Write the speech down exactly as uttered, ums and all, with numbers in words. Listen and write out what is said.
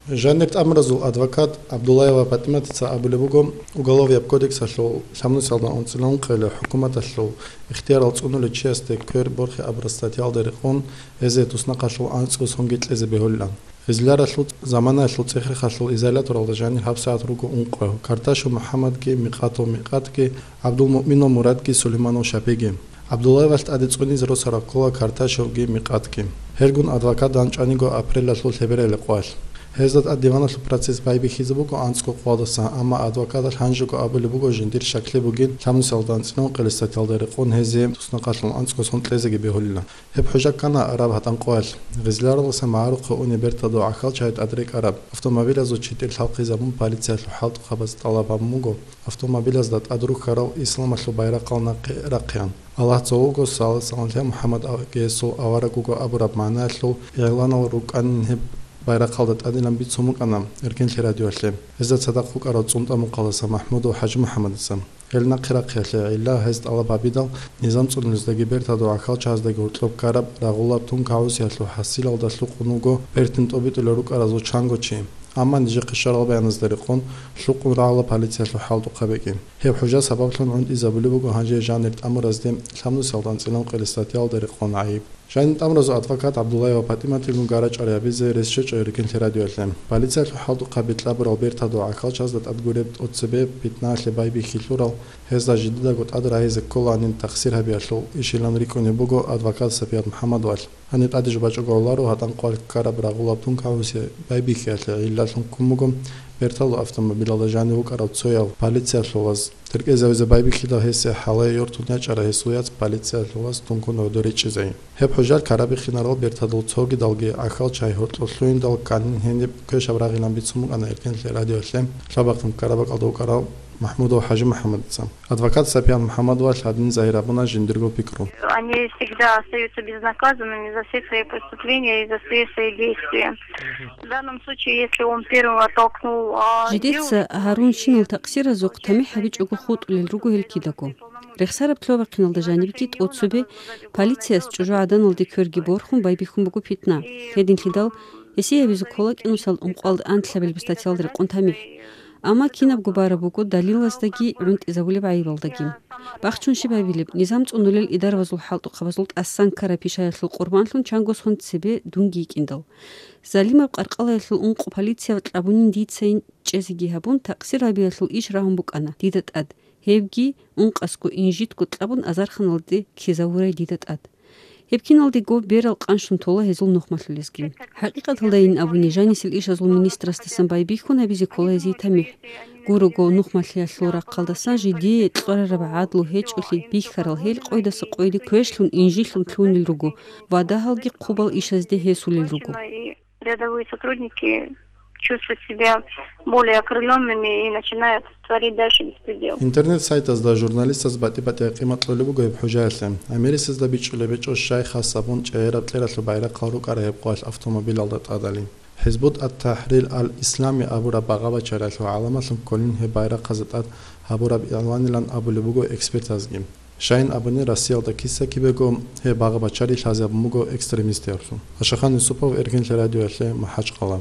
Жанир тӀамуразул адвокат Абдуллаева ПатӀиматица абулеб буго, Уголовияб кодексалъул лъабнусалда анцӀила ункъоялъул хӀукуматалъул ихтиярал цӀунулев чиясде квер борхи абураб статьялда рекъон гьезие туснахъалъул анцӀго сонги кьезе бегьулилан. Гъизларалъул заманаялъул цӀехрехалъул изоляторалда жанир гьабсагӀат руго ункъо, Карташев МухӀаммадги Микъатов Микъатги, ГӀабдулмуъминов Мурадги Сулейманов Шапиги. ГӀабдуллаевалъ тӀаде цӀунизе росараб ккола Карташевги Микъатги. Гьелгун адвокат данчӀваниго апрелалъул лъебералде къоялъ. Гьезда тӀад диваналъул процесс байбихьизе буго анцӀго къоялдаса, амма адвокаталъ гьанжего абулеб буго жиндир щаклъи бугин лъабнусалда анцӀила ункъоялъе статьялда рекъон гьезие туснахъалъул анцӀго сон кьезеги бегьулила. Гьеб хӀужа ккана араб гьатӀан къоялъ. Гъизларалдаса магӀарухъе унеб бертадул гӀахьалчагӀи тӀад рекӀараб автомобилазул читӀир лъалхъизабун полициялъул хӀалтӀухъабаз тӀалаб гьабун буго автомобилазда тӀад рухьарал исламалъул байрахъал нахъе рахъеян. Аллагь цо вуго, салат-салам лъе МухӀаммад, гьесул авараг вуго абураб магӀнаялъул игъланал рукӀанин гьеб байрахъалда тӀадилан бицун букӀана Эркенлъи радиоялъе. Гьезда цадахъ вукӀарав ЦӀунтӀа-Мухъаласа МахӀмудов ХӀажимухӀаммадица. Гьел нахъе рахъиялъе гӀилла гьез тӀалаб гьабидал, низам цӀунулездаги бертадул гӀахьалчагӀаздаги гьоркьоб ккараб рагъулаб тункагӀусиялъул хӀасилалда лъукъун вуго бертин тӀобитӀулел рукӀаразул чанго чи. Амма нижехъе щварал баяназда рекъон, лъукъун рагъула полициялъул хӀалтӀухъаб бекӀи. Гьеб хӀужа сабаблъун гӀунтӀизабулеб буго гьанже жанир тӀамуразде лъабнусалда анцӀила ункъоялъе статьялда рекъон гӀайиб. Жанир тӀамуразул адвокат ГӀабдуллаевал ПатӀиматилгун гара-чӀвара гьабизе рес щвечӀо Эркенлъи радиоялъе. Полициялъул хӀалтӀухъаби кьабурал бертадул гӀахьалчагӀазда тӀад гуреб тӀоцебе питнаялъе байбихьи лъурал, гьезда жидедаго тӀад рагьизе кколаанин тахсир гьабиялъул ишилан рикӀкӀунеб буго адвокат Сапият МухӀаммадовалъ. Гьаниб тӀаде жубачӀого гьавуларо гьатӀан къоялъ ккараб рагъулаб тункагӀусияб байбихьиялъе гӀиллалъун ккун буго бертадул автомобилалда жанив вукӀарав цояв полициялъулаз. ТӀеркӀезавизе байбихьидал гьесие хӀалае йортун ячӀарай гьесул яц полициялъулаз тункун гӀодор речӀчӀизай. Гьеб хӀужалъ ккарабихьинарал бертадул цогидалги гӀахьалчагӀи гьоркьоб лъугьиндал кканин гьениб квешаб рагъилан бицун букӀана Эркенлъи радиоялъе лъабахъин ккараб бакӀалда вукӀарав МахӀмудов ХӀажимухӀаммадица. Адвокат Сапият МухӀаммадовалъ гьадин загьир гьабуна жиндирго пикру. Они всегда остаются безнаказанными за все свои преступления и за все свои действия. В данном случае, если он первым оттолкнул, а, Жидеца девушку, гьарунщинал такъсиразухъ тамихӀ гьабичӀого хутӀулел руго гьел кидаго. Рехсараб лъобахъиналда жанибги тӀоцебе полицияс чӀужугӀаданалде кверги борхун байбихьун буго питна. Гьединлъидал гьесие гьабизе ккола кӀинусал ункъоялда анлъабилеб статьялда рекъон тамихӀ. Амма кинабго бараб буго далилаздаги гӀунтӀизабулеб гӀайибалдаги. Бахчун щиб гьабилеб, низам цӀунулел идаравазул хӀалтӀухъабазул тӀасан ккараб пишаялъул къурбанлъун чанго сон цебе дунги йикӀиндал. Залимаб къаркъалаялъул ункъо полицияв кьабунин дицайин чӀезеги гьабун, такъсир гьабиялъул иш рагьун букӀана дида тӀад. Гьебги ункъасго инжитго кьабун азарханалде ккезавурай дида тӀад. Гьеб киналдего берал къанщун тола гьезул нухмалъулезги. ХӀакъикъаталдайин абуни, жанисел ишазул министрасдасан байбихьун гьабизе ккола гьезие тамихӀ. Гурого, нухмалъиялъул рахъалдасан жидее кьварараб гӀадлу гьечӀолъи бихьарал гьел къойдаса къойде квешлъун, инжилъун лъугьунел руго ва дагьалги хъубал ишазде гьесулел руго. Рядовые сотрудники чувствуют себя более окрылёнными и начинают творить дальше беспредел. Интернет-сайтазда журналистаз батӀи-батӀиял къимат кьолеб буго гьеб хӀужаялъе. Америсазда бичӀчӀулеб гьечӀо щай хас абун чӀегӀераб кьералъул байрахъал рукӀарай гьеб къоялъ автомобилалда тӀадали. ХӀизбут ат-ТахӀрир ал-Ислами абураб багъа-бачариялъул гӀаламалъун кколин гьеб байрахъазда тӀад гьабураб игъланилан абулеб буго экспертазги. Щайин абуни, Россиялда киса-кибего гьеб багъа-бачари лъазе гьабун буго экстремистияблъун. Ашахан Юсупов, Эркенлъи радиоялъе, МахӀачкъала.